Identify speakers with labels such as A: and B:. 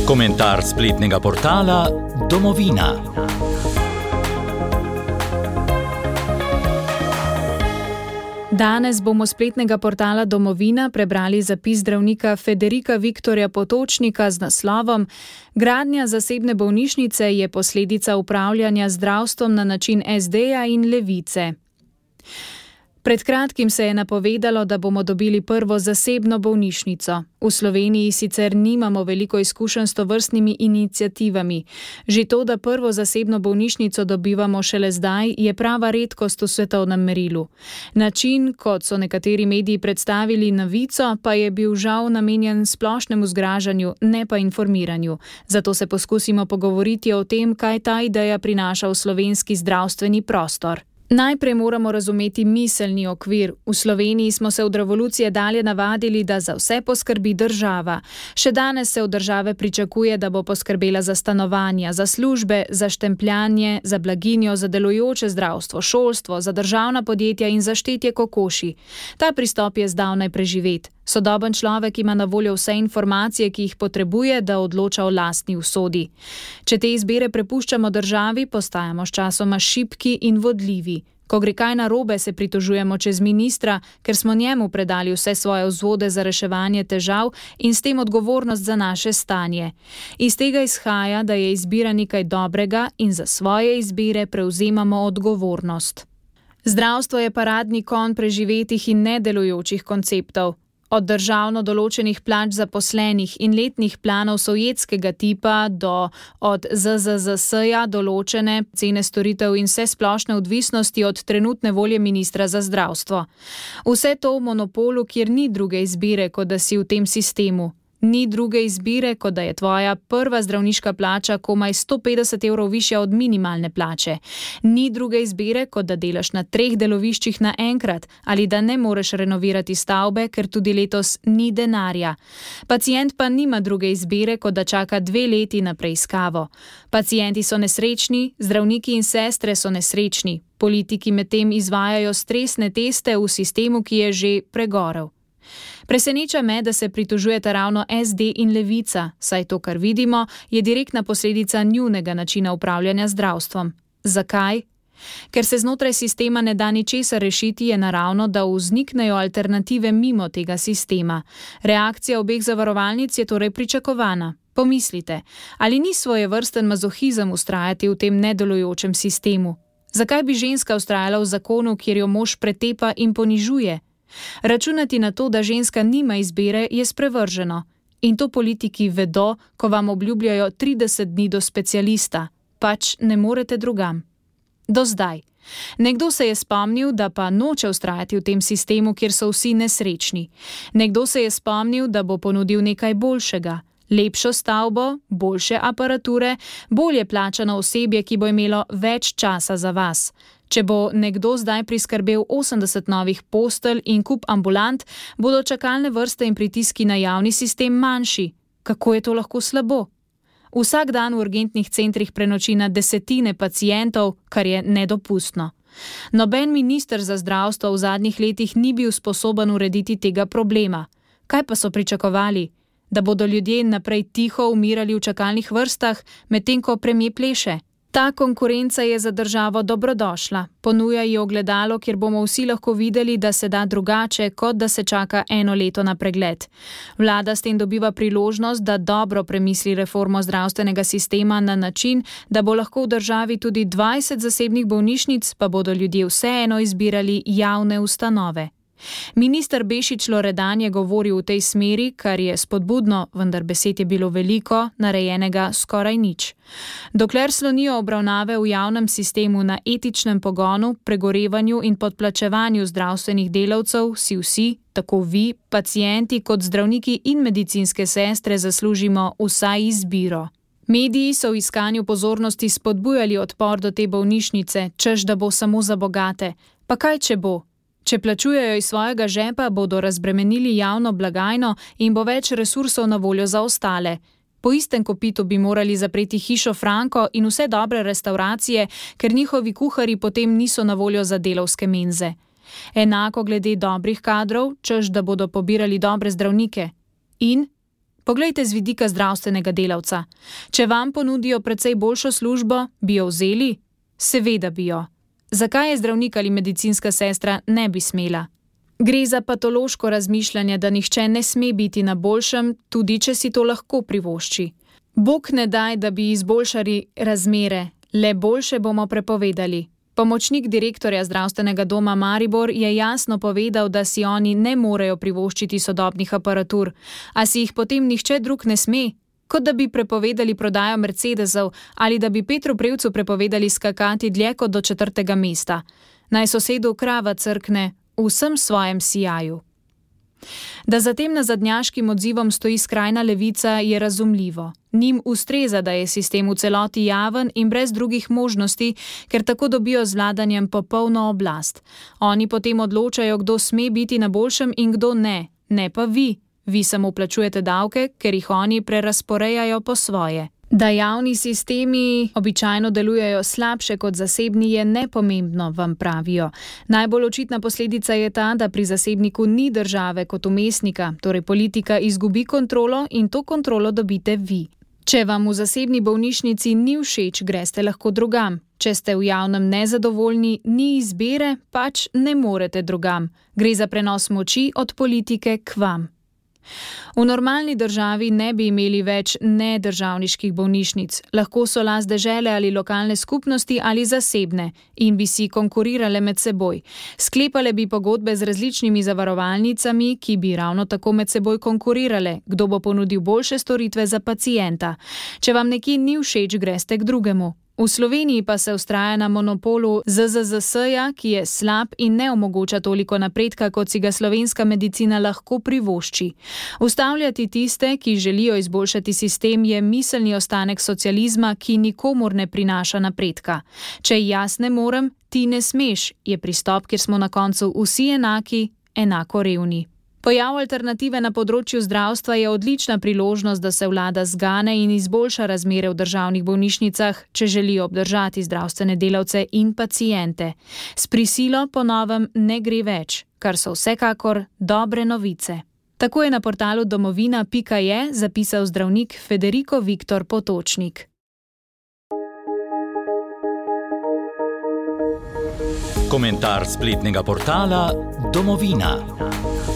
A: Komentar spletnega portala Domovina.
B: Danes bomo spletnega portala Domovina prebrali zapis zdravnika Federika Viktorja Potočnika z naslovom Gradnja zasebne bolnišnice je posledica upravljanja zdravstvom na način SD-ja in Levice. Pred kratkim se je napovedalo, da bomo dobili prvo zasebno bolnišnico. V Sloveniji sicer nimamo veliko izkušenj s tovrstnimi iniciativami. Že to, da prvo zasebno bolnišnico dobivamo šele zdaj, je prava redkost v svetovnem merilu. Način, kot so nekateri mediji predstavili novico, pa je bil žal namenjen splošnemu zgražanju, ne pa informiranju. Zato se poskusimo pogovoriti o tem, kaj ta ideja prinaša v slovenski zdravstveni prostor. Najprej moramo razumeti miselni okvir. V Sloveniji smo se od revolucije dalje navadili, da za vse poskrbi država. Še danes se od države pričakuje, da bo poskrbela za stanovanja, za službe, za štempljanje, za blaginjo, za delujoče zdravstvo, šolstvo, za državna podjetja in za štetje kokoši. Ta pristop je zdavnaj preživet. Sodoben človek ima na voljo vse informacije, ki jih potrebuje, da odloča o lastni usodi. Če te izbire prepuščamo državi, postajamo sčasoma šibki in vodljivi. Ko gre kaj narobe, se pritožujemo čez ministra, ker smo njemu predali vse svoje vzvode za reševanje težav in s tem odgovornost za naše stanje. Iz tega izhaja, da je izbira nekaj dobrega in za svoje izbire prevzemamo odgovornost. Zdravstvo je paradni konj preživetih in nedelujočih konceptov. Od državno določenih plač zaposlenih in letnih planov sovjetskega tipa do od ZZZS-ja določene cene storitev in vse splošne odvisnosti od trenutne volje ministra za zdravstvo. Vse to v monopolu, kjer ni druge izbire, kot da si v tem sistemu. Ni druge izbire, kot da je tvoja prva zdravniška plača komaj 150 evrov višja od minimalne plače. Ni druge izbire, kot da delaš na 3 deloviščih naenkrat ali da ne moreš renovirati stavbe, ker tudi letos ni denarja. Pacient pa nima druge izbire, kot da čaka 2 leti na preiskavo. Pacienti so nesrečni, zdravniki in sestre so nesrečni. Politiki medtem izvajajo stresne teste v sistemu, ki je že pregorel. Preseneča me, da se pritožujeta ravno SD in Levica, saj to, kar vidimo, je direktna posledica njunega načina upravljanja zdravstvom. Zakaj? Ker se znotraj sistema ne da ničesar rešiti, je naravno, da vzniknejo alternative mimo tega sistema. Reakcija obeh zavarovalnic je torej pričakovana. Pomislite, ali ni svojevrsten mazohizem vztrajati v tem nedelujočem sistemu? Zakaj bi ženska vztrajala v zakonu, kjer jo mož pretepa in ponižuje? Računati na to, da ženska nima izbire, je sprevrženo. In to politiki vedo, ko vam obljubljajo 30 dni do specialista. Pač ne morete drugam. Do zdaj. Nekdo se je spomnil, da pa noče vztrajati v tem sistemu, kjer so vsi nesrečni. Nekdo se je spomnil, da bo ponudil nekaj boljšega. Lepšo stavbo, boljše aparature, bolje plačano osebje, ki bo imelo več časa za vas. Če bo nekdo zdaj priskrbel 80 novih postelj in kup ambulant, bodo čakalne vrste in pritiski na javni sistem manjši. Kako je to lahko slabo? Vsak dan v urgentnih centrih prenoči na desetine pacientov, kar je nedopustno. Noben minister za zdravstvo v zadnjih letih ni bil sposoben urediti tega problema. Kaj pa so pričakovali? Da bodo ljudje naprej tiho umirali v čakalnih vrstah, medtem ko premier pleše? Ta konkurenca je za državo dobrodošla. Ponuja ji ogledalo, kjer bomo vsi lahko videli, da se da drugače, kot da se čaka 1 leto na pregled. Vlada s tem dobiva priložnost, da dobro premisli reformo zdravstvenega sistema na način, da bo lahko v državi tudi 20 zasebnih bolnišnic, pa bodo ljudje vseeno izbirali javne ustanove. Minister Bešič Loredan je govoril v tej smeri, kar je spodbudno, vendar besed je bilo veliko, narejenega skoraj nič. Dokler slonijo obravnave v javnem sistemu na etičnem pogonu, pregorevanju in podplačevanju zdravstvenih delavcev, si vsi, tako vi, pacienti kot zdravniki in medicinske sestre zaslužimo vsaj izbiro. Mediji so v iskanju pozornosti spodbujali odpor do te bolnišnice, češ da bo samo za bogate. Pa kaj če bo? Če plačujejo iz svojega žepa, bodo razbremenili javno blagajno in bo več resursov na voljo za ostale. Po istem kopitu bi morali zapreti hišo Franko in vse dobre restavracije, ker njihovi kuharji potem niso na voljo za delavske menze. Enako glede dobrih kadrov, češ da bodo pobirali dobre zdravnike. In Poglejte z vidika zdravstvenega delavca. Če vam ponudijo precej boljšo službo, bi jo vzeli? Seveda bi jo. Zakaj je zdravnik ali medicinska sestra ne bi smela? Gre za patološko razmišljanje, da nihče ne sme biti na boljšem, tudi če si to lahko privošči. Bog ne daj, da bi izboljšali razmere, le boljše bomo prepovedali. Pomočnik direktorja zdravstvenega doma Maribor je jasno povedal, da si oni ne morejo privoščiti sodobnih aparatur, a si jih potem nihče drug ne sme, kot da bi prepovedali prodajo Mercedesov ali da bi Petru Prevcu prepovedali skakati dlje kot do 4. mesta. Naj sosedu krava crkne v vsem svojem sijaju. Da za tem nazadnjaškim odzivom stoji skrajna levica, je razumljivo. Njim ustreza, da je sistem v celoti javen in brez drugih možnosti, ker tako dobijo z vladanjem popolno oblast. Oni potem odločajo, kdo sme biti na boljšem in kdo ne, ne pa vi. Vi samo plačujete davke, ker jih oni prerazporejajo po svoje. Da javni sistemi običajno delujejo slabše kot zasebni, je nepomembno, vam pravijo. Najbolj očitna posledica je ta, da pri zasebniku ni države kot umestnika, torej politika izgubi kontrolo in to kontrolo dobite vi. Če vam v zasebni bolnišnici ni všeč, greste lahko drugam. Če ste v javnem nezadovoljni, ni izbire, pač ne morete drugam. Gre za prenos moči od politike k vam. V normalni državi ne bi imeli več nedržavniških bolnišnic, lahko so last dežele ali lokalne skupnosti ali zasebne in bi si konkurirale med seboj. Sklepale bi pogodbe z različnimi zavarovalnicami, ki bi ravno tako med seboj konkurirale, kdo bo ponudil boljše storitve za pacienta. Če vam nekje ni všeč, greste k drugemu. V Sloveniji pa se vztraja na monopolu ZZZS-ja, ki je slab in ne omogoča toliko napredka, kot si ga slovenska medicina lahko privošči. Ustavljati tiste, ki želijo izboljšati sistem, je miselni ostanek socializma, ki nikomur ne prinaša napredka. Če jaz ne morem, ti ne smeš, je pristop, kjer smo na koncu vsi enaki, enako revni. Pojav alternative na področju zdravstva je odlična priložnost, da se vlada zgane in izboljša razmere v državnih bolnišnicah, če želi obdržati zdravstvene delavce in paciente. S prisilo po novem ne gre več, kar so vsekakor dobre novice. Tako je na portalu domovina.je zapisal zdravnik Federico Viktor Potočnik.
A: Komentar spletnega portala Domovina.